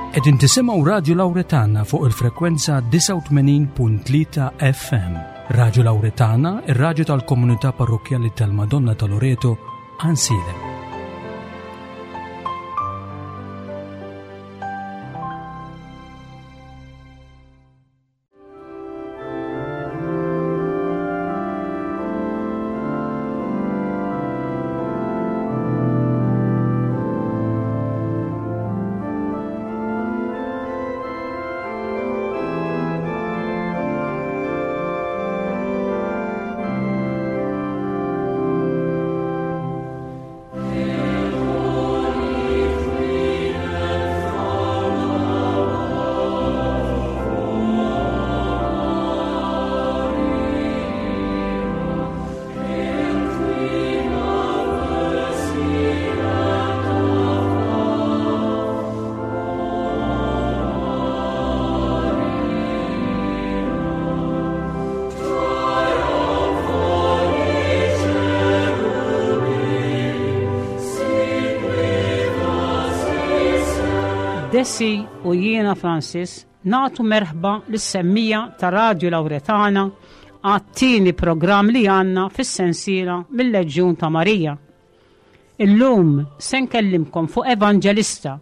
Qegħdin tisimgħu Radju Lawretana fuq il-frekwenza 89.3 FM. Radju Lawretana, ir-radju tal-komunità parrokkjali tal-Madonna ta' Loreto, Ansilem. Desi u jiena Francis nagħtu merħba lis-semmija ta' Radju Lawretana għat-tieni programm li għandna fis-sensiela mill-Leġjun ta' Marija. Illum se nkellimkom fuq evanġelista,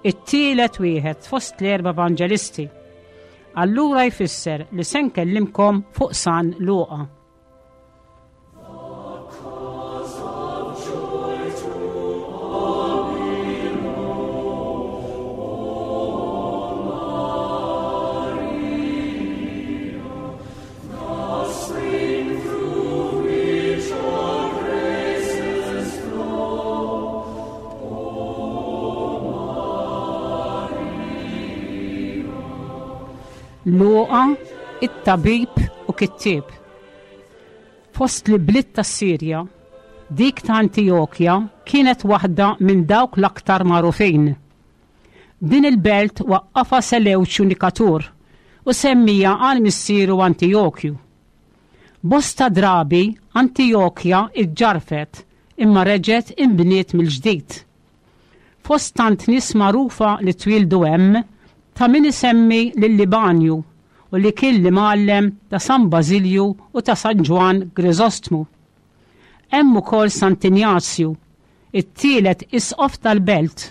it-tielet wieħed fost l-erba' evanġelisti. Allura jfisser li se nkellimkom fuq San Luqa. Luqa, it-tabib u kittieb. Fost l-ibliet tas-Sirja, dik ta' Antijokja kienet waħda minn dawk l-aktar magħrufin. Din il-belt waqqafha Selewċju Nikatur u semmieha għal missieru Antijokju. Bosta drabi Antijokja ġġarrfet imma reġgħet inbniet mill-ġdid. Fost tant nies magħrufa li twieldu hemm, ta' min isemmi lil Libanju u li kien l-imgħallem ta' San Bażilju u ta' San Ġwann Griżostmu. Hemm ukoll Sant'Injazju, it-tielet isqof tal-belt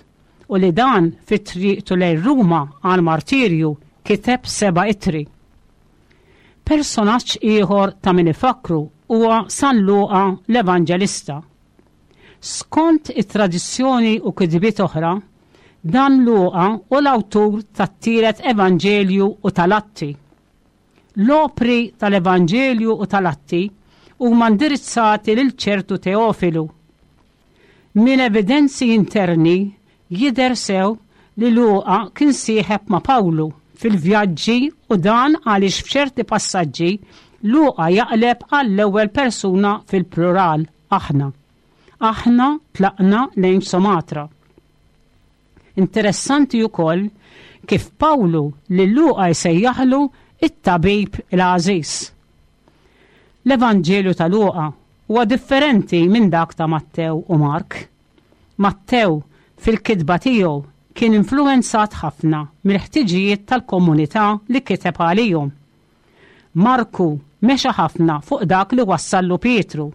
u li dan fi triqtu lejn Ruma għall-martirju kiteb seba' ittri. Personaġġ ieħor ta' min ifakkru huwa San Luqa l-Evanġelista. Skont it-tradizzjoni u kitbiet oħra, dan Luqa hu l-awtur tat-tielet Evanġelju u tal-Atti. L-opri tal-Evanġelju u tal-Atti huma indirizzati lil ċertu Teofilu. Minn evidenzi interni jidher sew li Luqa kien sieħeb ma' Pawlu fil-vjaġġi u dan għaliex f'ċerti passaġġi Luqa jaqleb għall-ewwel persuna fil-plural, aħna. Aħna tlaqna lejn Sumatra. Interessanti wkoll kif Pawlu lil Luqa jsejjaħlu it-tabib il-għażiż. L-Evanġelju ta' Luqa huwa differenti minn dak ta' Mattew u Mark. Mattew fil-kitba tiegħu kien influwenzat ħafna mill-ħtiġijiet tal-komunità li kiteb għalihom. Marku mexa ħafna fuq dak li wassallu Pietru.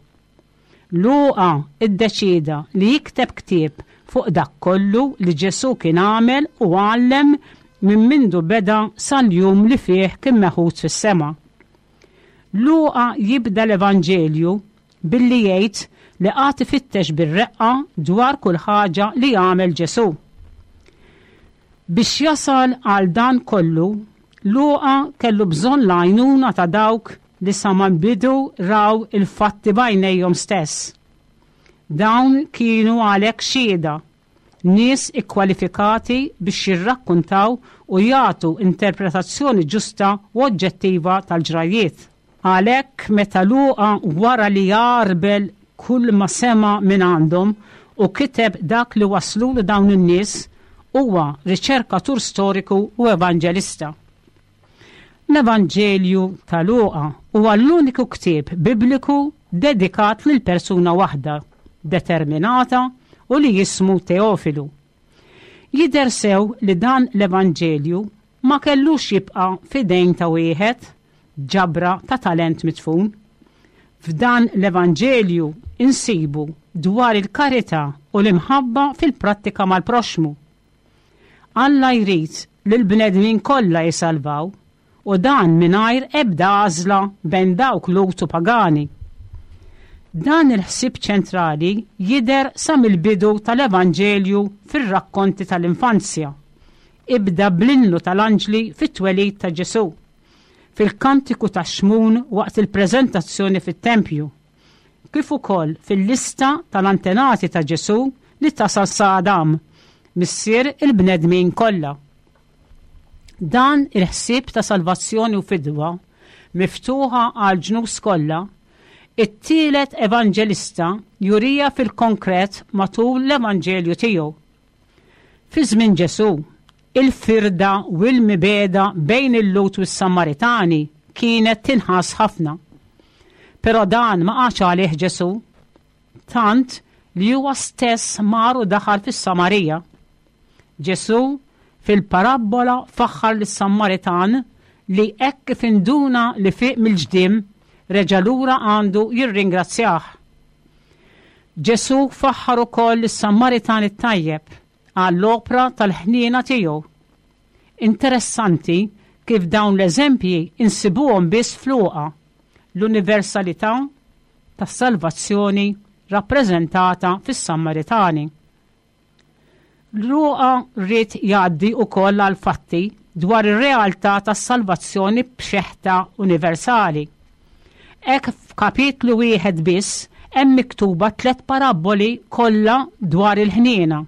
Luqa ddeċieda li jikteb ktieb fuq dak kollu li Ġesù kien għamel u għallem minn mindu beda sal-jum li fih kien meħud fis-sema. Luqa jibda l-Evanġelju billi jgħid li qagħad ifittex bir-reqqa dwar kull ħaġa li għamel Ġesù. Biex jasal għal dan kollu, Luqa kellu bżonn l-għajnuna ta' dawk li sa mal-bidu raw il-fatti b'għajnejhom stess. Dawn kienu għalhekk xhieda, nies ikkwalifikati biex jirrakkuntaw u jagħtu interpretazzjoni ġusta u oġġettiva tal-ġrajjiet. Għalhekk meta Luqa wara li għarbel kull ma sema' mingħandhom u kiteb dak li wasslulu dawn in-nies, huwa riċerkatur storiku u evanġelista. L-Evanġelju ta' Luqa huwa l-uniku ktieb Bibliku dedikat lil persuna waħda determinata u li jismu Teofilu. Jidher sew li dan l-Evanġelju ma kellux jibqa' f'idejn ta' wieħed, ġabra ta' talent midfun. F'dan l-Evanġelju nsibu dwar il-karità u l-imħabba fil-prattika mal-proxxmu. Alla jrid li l-bnedmin kollha jisalvaw u dan mingħajr ebda għażla bejn dawk Lhud u pagani. Dan il-ħsieb ċentrali jidher sa mill-bidu tal-Evanġelju fir-rakkonti tal-infanzja. Ibda bl-innu tal-anġli fit-twelid ta' Ġesù, fil-kantiku ta' Xmun waqt il-preżentazzjoni fit-tempju, kif ukoll fil-lista tal-antenati ta' Ġesù li tasal sa Adam, missier il-bnedmin kollha. Dan il-ħsieb ta' salvazzjoni u fidwa miftuħa għall-ġnus kollha, it-tielet evanġelista jurija fil-konkret matul l-Evanġelju tiegħu. Fi żmien Ġesù, il-firda u l-mibegħda bejn il-Lhud u s-Samaritani kienet tinħass ħafna. Però dan ma qagħadx għalih Ġesù, tant li huwa stess mar u daħal fis-Samarija. Ġesù fil-parabbola faħħar lis-Samaritan li hekk kif induna li fieq mill-ġdiem reġa' lura għandu jirringrazzjah. Ġesù faħħar ukoll lis-Samaritan it-tajjeb għall-opra tal-ħniena tiegħu. Interessanti kif dawn l-eżempji insibuhom biss f'Luqa, l-universalità tas-salvazzjoni rappreżentata fis-Sammaritani. Luqa ried jgħaddi wkoll għall-fatti dwar ir-realtà tas-salvazzjoni b'xeħta universali. Hekk f'kapitlu wieħed biss hemm miktuba tlett parabboli kollha dwar il-ħniena,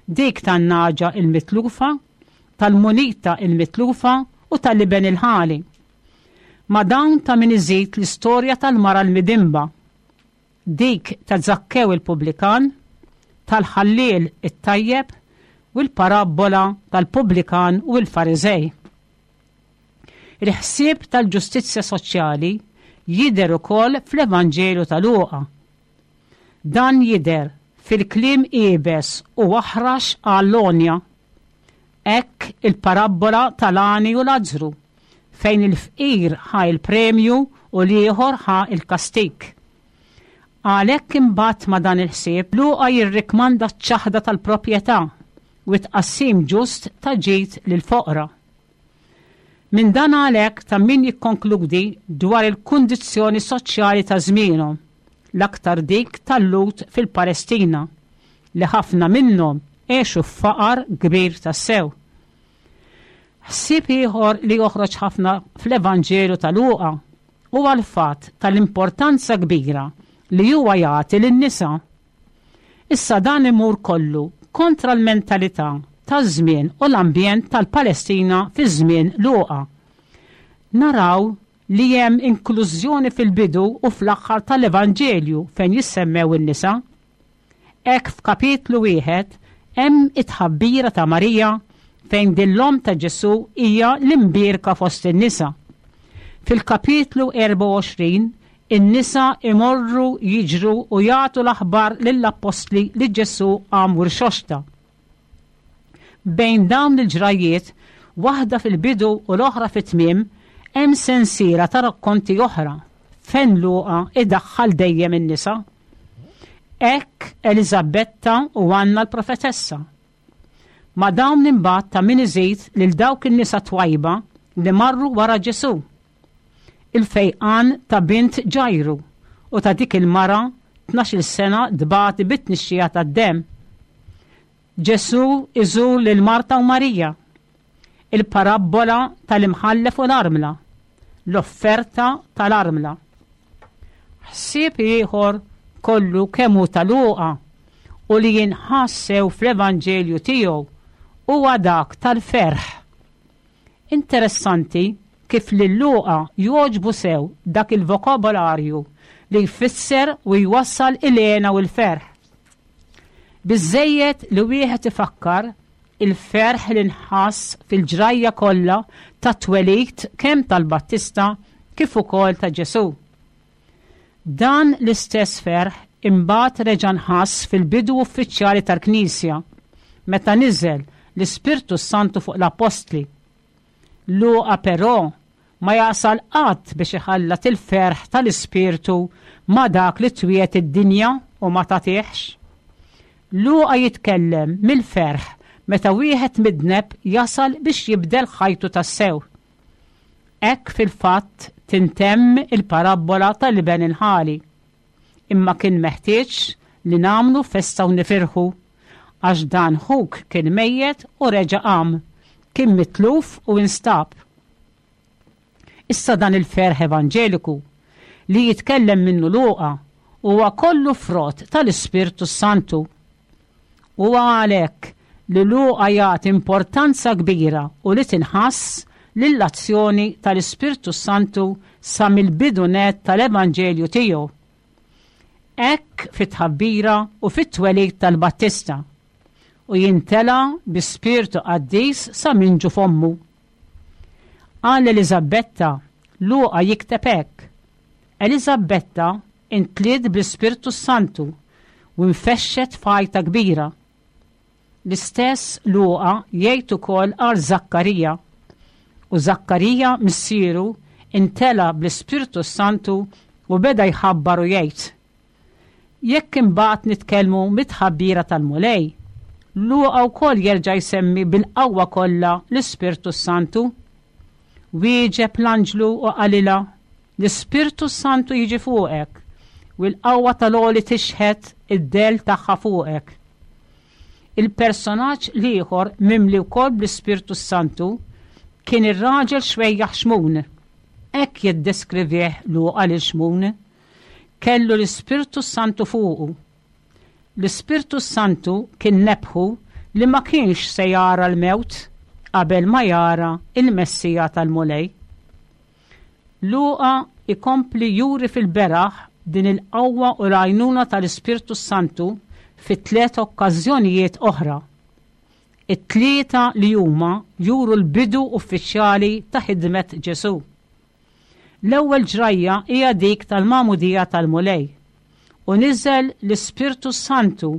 dik tan-nagħġa il-mitlufa, tal-munita il-mitlufa u tal-iben il-ħali. Ma' dawn ta' min iżid l-istorja tal-mara l-midinba, dik ta' Żakkew il-pubblikan, tal-ħalliel it-tajjeb u l-parabbola tal-pubblikan u l-Fariżej. Il-ħsieb tal-ġustizzja soċjali jidher ukoll fl-Evanġelju ta' Luqa. Dan jidher fil-kliem iebes u aħrax għall-għonja. Hekk il-parabbola tal-għani u Lazzru, fejn il-fqir ħa l-premju u l-ieħor ħa l-kastig. Għalhekk imbagħad ma' dan il-ħsieb, Luqa jirrikmanda ċ-ċaħda tal-proprjetà u t-tqassim ġust ta' ġid lill-foqra. Minn dan għalhekk ta' min jikkonkludi dwar il-kundizzjoni soċjali ta' żmienhom, l-aktar dik tal-Lhud fil-Palestina, li ħafna minnhom għexu f'faqar kbir tassew. Ħsieb ieħor li joħroġ ħafna fl-Evanġelju ta' Luqa huwa l-fatt tal-importanza kbira li huwa jagħti lin-nisa. Issa dan imur kollu kontra l-mentalità taż-żmien u l-ambjent tal-Palestina fi żmien Luqa. Naraw li hemm inklużjoni fil-bidu u fl-aħħar tal-Evanġelju fejn jissemmew in-nisa. Hekk f'kapitlu wieħed hemm it-tħabbira ta' Marija fejn din l-omm ta' Ġesù hija l-imbierka fost in-nisa. Fil-kapitlu 24 in-nisa imorru jiġru u jagħtu l-aħbar lill-appostli li Ġesù qam u rxoxta. Bejn dawn il-ġrajjiet, waħda fil-bidu u l-oħra fit-tmiem, hemm sensiela ta' rakkonti oħra fejn Luqa idaħħal dejjem in-nisa. Hekk Eliżabetta u Anna l-profetessa. Ma' dawn imbagħad ta' min iżid lil dawk in-nisa twajba li marru wara Ġesù. Il-fejqan ta' bint Ġajru u ta' dik il-mara tnax-il sena tbati bit-tnixxija tad-demm. Ġesù iżur lil Marta u Marija. Il-parabbola tal-imħallef u l-armla. L-offerta tal-armla. Ħsieb ieħor kollu kemm hu ta' Luqa u li jinħass sew fl-Evanġelju tiegħu huwa dak tal-ferħ. Interessanti kif lil Luqa jogħġbu sew dak il-vokabolarju li jfisser u jwassal il-hena u l-ferħ. Biżżejjed li wieħed ifakkar il-ferħ li nħass fil-ġrajja kollha tat-twelid kemm tal-Battista kif ukoll ta' Ġesù. Dan l-istess ferħ imbagħad reġa' nħass fil-bidu uffiċjali tal-Knisja, meta niżel l-Ispirtu s-Santu fuq l-Appostli. Luqa però ma jasal qatt biex iħallat il-ferħ tal-Ispirtu ma' dak li twiegħed id-dinja u ma tagħtihx. Luqa jitkellem mill-ferħ meta wieħed midneb jasal biex jibdel ħajtu tassew. Hekk fil-fatt tintemm il-parabbola tal-iben il-ħali. Imma kien meħtieġ li nagħmlu festa u nifirħu, għax dan ħuk kien mejjet u reġa' qam, kien mitluf u instab. Issa dan il-ferħ evanġeliku li jitkellem minnu Luqa huwa kollu frott tal-Ispirtu s-Santu. Huwa għalhekk li Luqa jagħti importanza kbira u li tinħass lill-azzjoni tal-Ispirtu s-Santu sa mill-bidu nett tal-Evanġelju tiegħu. Hekk fit-tħabbira u fit-twelid tal-Battista, u jintela' bi spirtu qaddis sa minn ġuf ommu. Għal Eliżabetta, Luqa jikteb hekk, Eliżabetta intliet bl-Ispirtu s-Santu u nfexxet f'għajta kbira. L-istess Luqa jgħid ukoll għal Żakkarija. U Żakkarija missieru intela bl-Ispirtu s-Santu u beda jħabbar u jgħid. Jekk imbagħad nitkellmu mit-tħabbira tal-Mulej, Luqa wkoll jerġa' jsemmi bil-qawwa kollha l-Ispirtu s-Santu. Wieġeb l-anġlu u qalilha, L-Ispirtu s-Santu jiġi fuqek, u l-qawwa tal-Għoli tixħet id-dell tagħha fuqek. Il-personaġġ l-ieħor mimli wkoll bl-Ispirtu s-Santu kien ir-raġel xwejjaħ Xmun. Hekk jiddeskrivih Luqa lil Xmun. Kellu l-Ispirtu s-Santu fuqu. L-Ispirtu s-Santu kien nebbħu li ma kienx se jara l-mewt qabel ma jara l-Messija tal-Mulej. Luqa jkompli juri fil-beraħ din il-qawwa u l-għajnuna tal-Ispirtu s-Santu fi tliet okkażjonijiet oħra. It-tlieta li huma juru l-bidu uffiċjali ta' ħidmet Ġesù. L-ewwel ġrajja hija dik tal-magħmudija tal-Mulej. U niżel l-Ispirtu s-Santu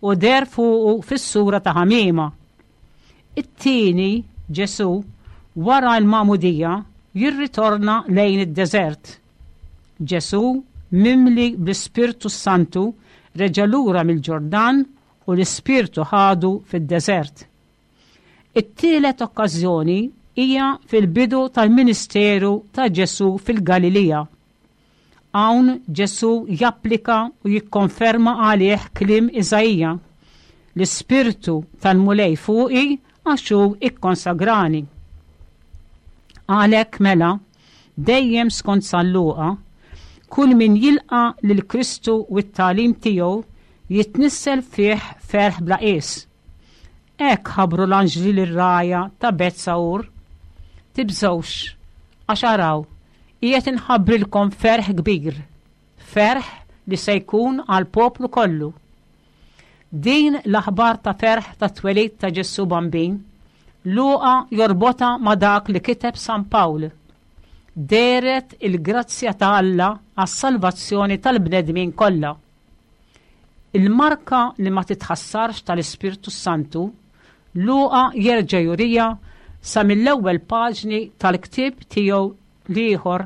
u deher fuqu fis-sura ta' ħamiema. It-tieni, Ġesù, wara l-magħmudija, jirritorna lejn id-deżert. Ġesù, mimli bl-Ispirtu s-Santu, reġa' lura mill-Ġordan u l-Ispirtu ħadu fid-deżert. It-tielet okkażjoni hija fil-bidu tal-ministeru ta' Ġesù fil-Galilija. Hawn Ġesù japplika u jikkonferma għalih kliem Iżaija, L-Ispirtu tal-Mulej fuqi għax hu ikkonsagrani. Għalhekk mela, dejjem skont San Luqa, kull min jilqa' lil Kristu u t-tagħlim tiegħu jitnissel fih ferħ bla qies. Hekk ħabbru l-anġli lir-rgħajja ta' Bet-Sagħur, Tibżgħux, għax araw, qiegħed inħabbrilkom ferħ kbir, ferħ li se jkun għall-poplu kollu. Din l-aħbar ta' ferħ tat-twelid ta' Ġesù Bambin, Luqa jorbotha ma' dak li kiteb San Pawl, Dehret il-grazzja ta' Alla għas-salvazzjoni tal-bnedmin kollha. Il-marka li ma titħassarx tal-Ispirtu s-Santu, Luqa jerġa' juriha sa mill-ewwel paġni tal-ktieb tiegħu l-ieħor,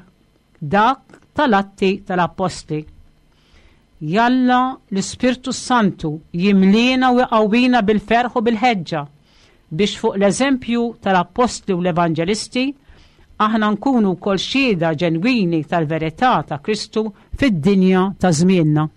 dak tal-Atti tal-Appostli. Jalla l-Ispirtu s-Santu jimliena u jqawwina bil-ferħ u bil-ħeġġa biex fuq l-eżempju tal-Appostli u l-Evanġelisti aħna nkunu wkoll xhieda ġenwini tal-verità ta' Kristu fid-dinja ta' żmienna.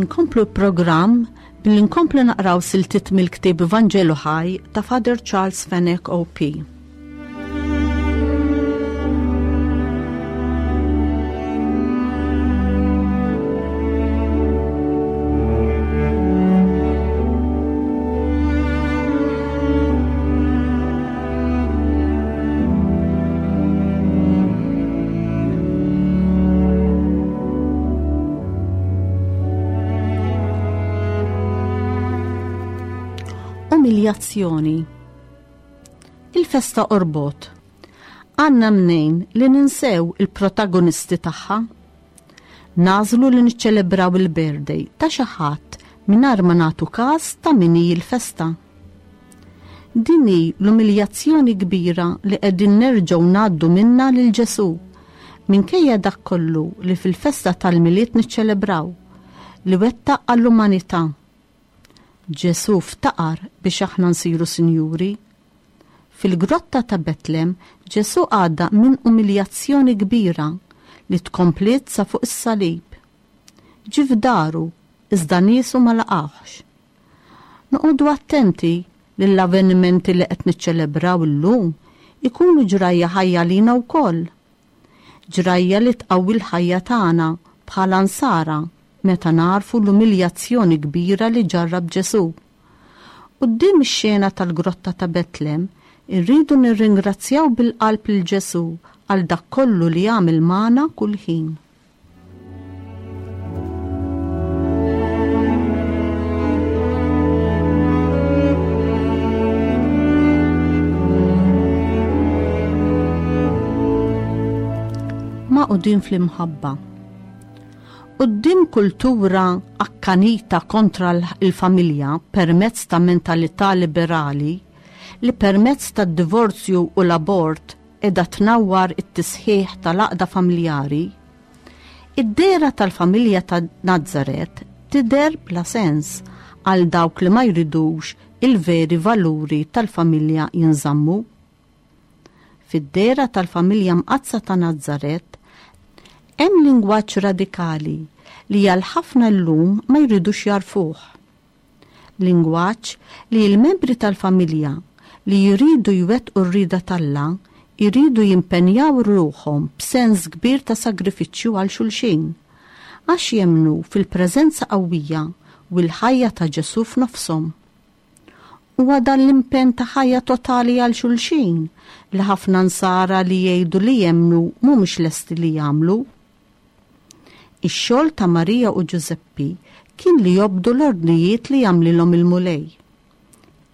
Inkomplu l-programm billi nkomplu naqraw siltiet mill-ktieb Vanġelu Ħaj ta' Father Charles Fenech OP. Umiljazzjoni. Il-festa orbot. Għanna mnejn li ninsew il-protagonisti tagħha. Nażlu li niċċelebraw il-birthday ta' xi ħadd mingħajr ma nagħtu każ ta' min hi l-festa. Din hi l-umiljazzjoni kbira li qegħdin nerġgħu ngħaddu minnha lil Ġesù, minkejja dak kollu li fil-festa tal-Milied niċċelebraw, li wettaq għall-umanità. Ġesù ftaqar biex aħna nsiru sinjuri. Fil-grotta ta' Betlem, Ġesù għadda minn umiljazzjoni kbira li tkompliet sa fuq is-salib. Ġie f'daru, iżda niesu ma laqgħuhx. Noqogħdu attenti li l-avvenimenti li qed niċċelebraw illum ikunu ġrajja ħajja għalina wkoll. Ġrajja li tqawwi l-ħajja tagħna bħala Nsara meta nagħrfu l-umiljazzjoni kbira li ġarrab Ġesù. Quddiem ix-xena tal-grotta ta' Betlem, irridu nirringrazzjaw bil-qalb lil Ġesù għal dak kollu li għamel magħna kull ħin. Magħqudin fl-imħabba. Quddiem kultura akkanita kontra l-familja permezz ta' mentalità liberali li permezz tad-divorzju u l-abort qiegħda tnawwar it-tisħiħ tal-għaqda familjari, id-dehra tal-familja ta' Nazaret tidher bla sens għal dawk li ma jridux il-veri valuri tal-familja jinżammu. Fid-dehra tal-familja mqaddsa ta' Nazaret hemm lingwaġġ radikali li għal ħafna llum ma jridux jagħrfuh. Lingwaġġ li l-membri tal-familja li jridu jwettqu r-rieda t'Alla jridu jimpenjaw ruħhom b'sens kbir ta' sagrifiċċju għal xulxin, għax jemmnu fil-preżenza qawwija u l-ħajja ta' Ġesù f'nofshom. Huwa dan l-impenn ta' ħajja totali għal xulxin li ħafna Nsara li jgħidu li jemmnu mhumiex lesti li jagħmlu. Ix-xogħol ta' Marija u Ġużeppi kien li jobdu l-ordnijiet li għamlilhom il-Mulej.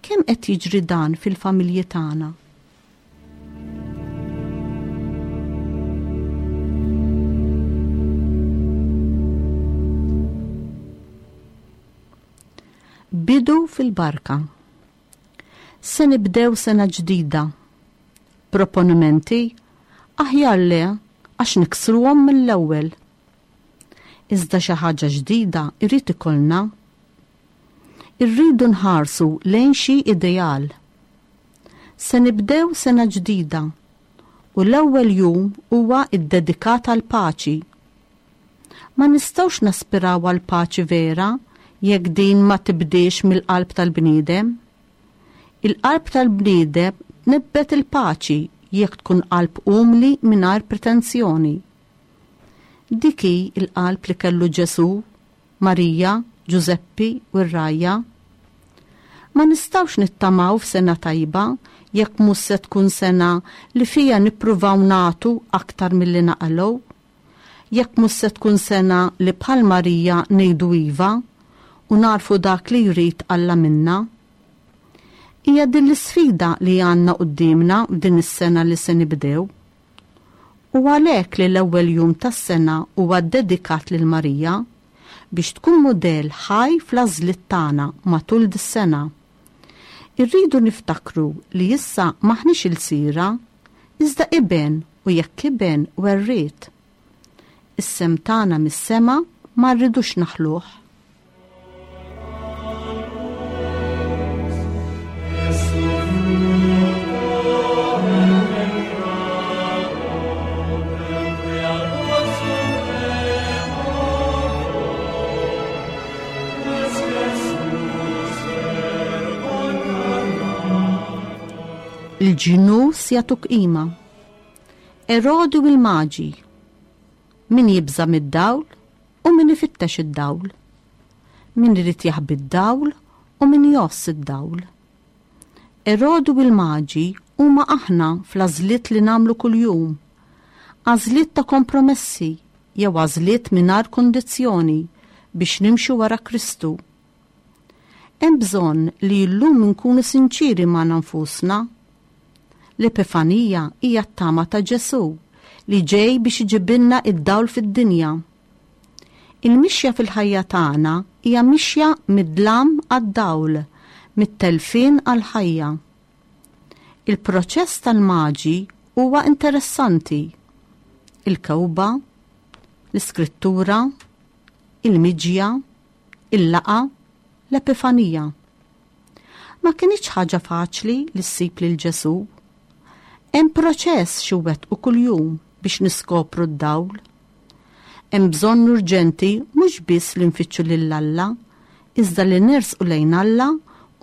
Kemm qed jiġri dan fil-familji tagħna? Bidu fil-barka. Se nibdew sena ġdida. Proponimenti? Aħjar le, għax niksruhom mill-ewwel. Iżda xi ħaġa ġdida jrid ikollna. Irridu nħarsu lejn xi ideal. Se nibdew sena ġdida u l-ewwel jum huwa ddedikat għall-paċi. Ma nistgħux naspiraw għall-paċi vera jekk din ma tibdiex mill-qalb tal-bniedem. Il-qalb tal-bniedem tnibbet il-paċi jekk tkun qalb umli mingħajr pretensjoni. Dik hi l-qalb li kellu Ġesù, Marija, Ġużeppi u r-rgħajja. Ma nistgħux nittamaw f'sena tajba jekk mhux se tkun sena li fiha nippruvaw nagħtu aktar milli naqalgħu. Jekk mhux se tkun sena li bħal Marija ngħidu iva u nagħrfu dak li jrid Alla minna. Hija din l-isfida li għandna quddiemna f'din is-sena li se nibdew. U għalhekk li l-ewwel jum tas-sena huwa ddedikat lil Marija, biex tkun mudell ħaj fl-għażliet tagħna matul dis-sena. Irridu niftakru li issa m'aħniex ilsira, iżda iben u jekk iben werriet. Is-sehem tagħna mis-sema ma rridux naħluh. Il-ġnus jagħtuk qima. Erodi u l-Maġi. Min jibża' mid-dawl u min ifittex id-dawl. Min irid jaħbi d-dawl u min jgħożż id-dawl. Erodi u l-Maġi huma aħna fl-għażliet li nagħmlu kuljum. Għażliet ta' kompromessi jew għażliet mingħajr kundizzjoni biex nimxu wara Kristu. Hemm bżonn li llum inkunu sinċieri magħna nfusna. L-Epifanija hija t-tama ta' Ġesù li ġej biex iġibilna d-dawl fid-dinja. Il-mixja fil-ħajja tagħna hija mixja mid-dlam għad-dawl, mit-telfien għall-ħajja. Il-proċess tal-Maġi huwa interessanti. Il-kewba, l-iskrittura, il-miġja, il-laqgħa, l-Epifanija. Ma kinitx ħaġa faċli li ssib lil Ġesù. Hemm proċess xi wettqu kuljum biex niskopru d-dawl. Hemm bżonn urġenti mhux biss li nfittxu lil Alla, iżda li nersqu lejn Alla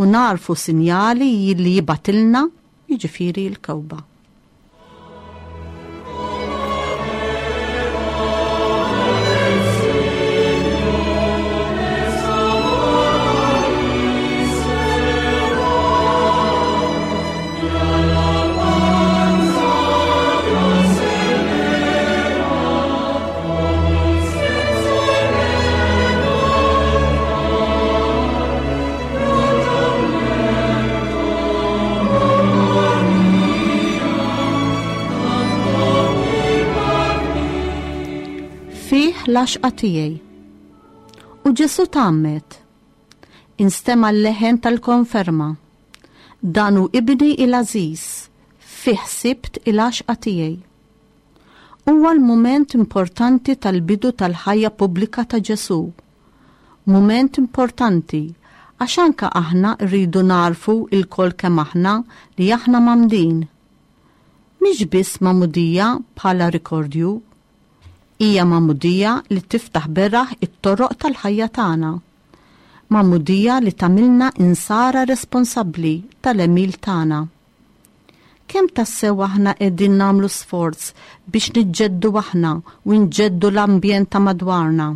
u nagħrfu sinjali li jibgħatilna, jiġifieri l-kewba. Fih l-għaxqa tiegħi. U Ġesù tgħammed. Instema' l-leħen tal-konferma. Dan hu ibni il-għażiż, fih sibt il-għaxqa tiegħi. Huwa l-mument importanti tal-bidu tal-ħajja pubblika ta' Ġesù. Mument importanti għax anke aħna rridu nagħrfu lkoll kemm aħna li aħna mgħammdin. Mhix biss magħmudija bħala rikordju. Hija magħmudija li tiftaħ beraħ it-toroq tal-ħajja tagħna. Magħmudija li tagħmilna insara responsabbli tal-għemil tagħna. Kemm tassew aħna qegħdin nagħmlu sforz biex niġġeddu aħna u nġeddu l-ambjent ta' madwarna?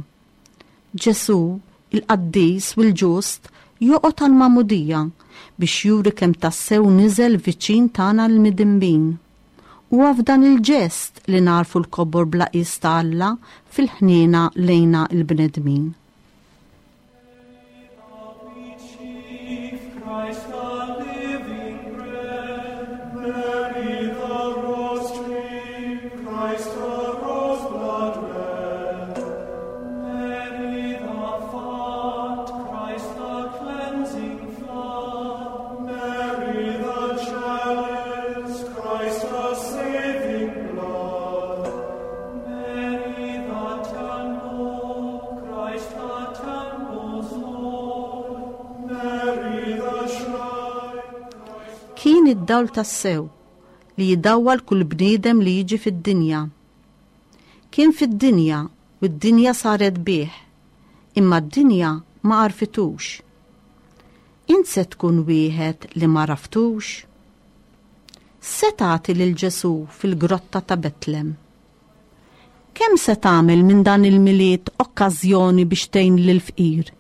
Ġesù, il-qaddis u l-ġust, joqgħod għall-magħmudija biex juri kemm tassew niżel viċin tagħna l-midinbin. Huwa f'dan il-ġest li nagħrfu l-kobor bla qies ta' Alla fil-ħniena lejna l-bnedmin. Kien id-dawl tassew li jidawwal kull bniedem li jiġi fid-dinja. Kien fid-dinja u d-dinja saret bih, imma d-dinja ma għarfitux. Int se tkun wieħed li ma għaraftux? X'se tagħti lil Ġesù fil-grotta ta' Betlem? Kemm se tagħmel minn dan il-Milied okkażjoni biex tgħin lill-fqir?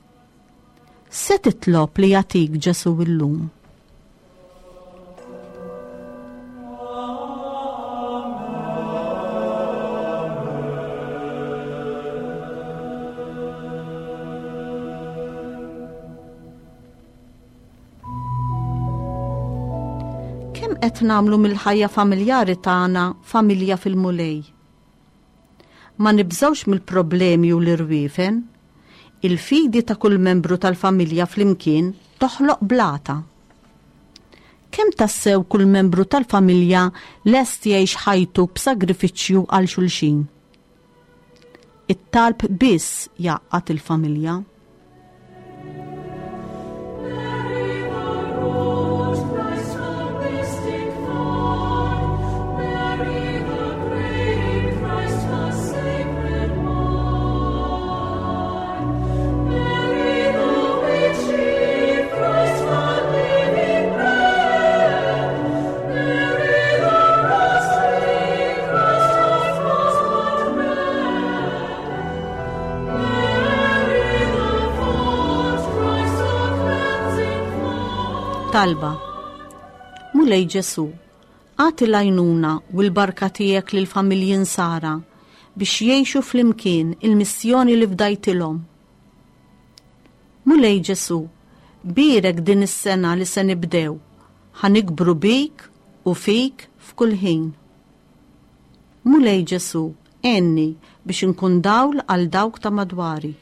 X'se titlob li jagħtik Ġesù llum? Kemm qed nagħmlu mill-ħajja familjari tagħna familja fil-Mulej? Ma nibżgħux mill-problemi u l-irwiefen. Il-fidi ta' kull membru tal-familja flimkien toħloq blata. Kemm tassew kull membru tal-familja lest jgħix ħajtu b'sagrifiċċju għal xulxin? It-talb biss jgħaqqad il-familja. Talba. Mulej Ġesu, agħti l-għajnuna u l-barka tiegħek lill-familji nsara biex jgħixu flimkien il-missjoni li fdajtilhom. Mulej Ġesu, bierek din is-sena li se nibdew, ħa nikbru bik u fik f'kull ħin. Mulej Ġesu, għenni biex inkun dawl għal dawk ta' madwari.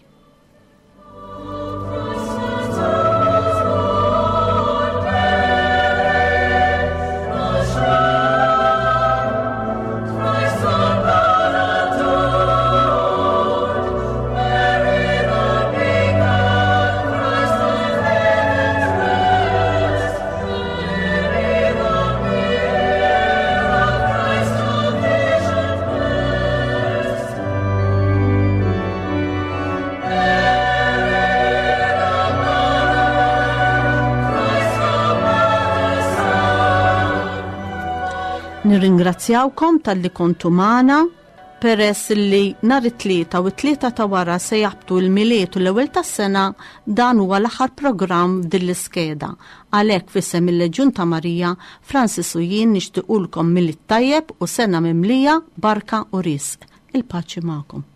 Nirringrazzjawkom talli kontu magħna peress li nhar it-Tlieta u t-Tlieta ta' wara se jaħbtu l-Milied u l-Ewwel tas-Sena dan huwa l-aħħar programm f'din l-iskeda. Għalhekk f'isem il-Leġjun ta' Marija, Francis u jien nixtiqulkom Milied tajjeb u sena mimlija barka u risq. Il-paċi magħkom.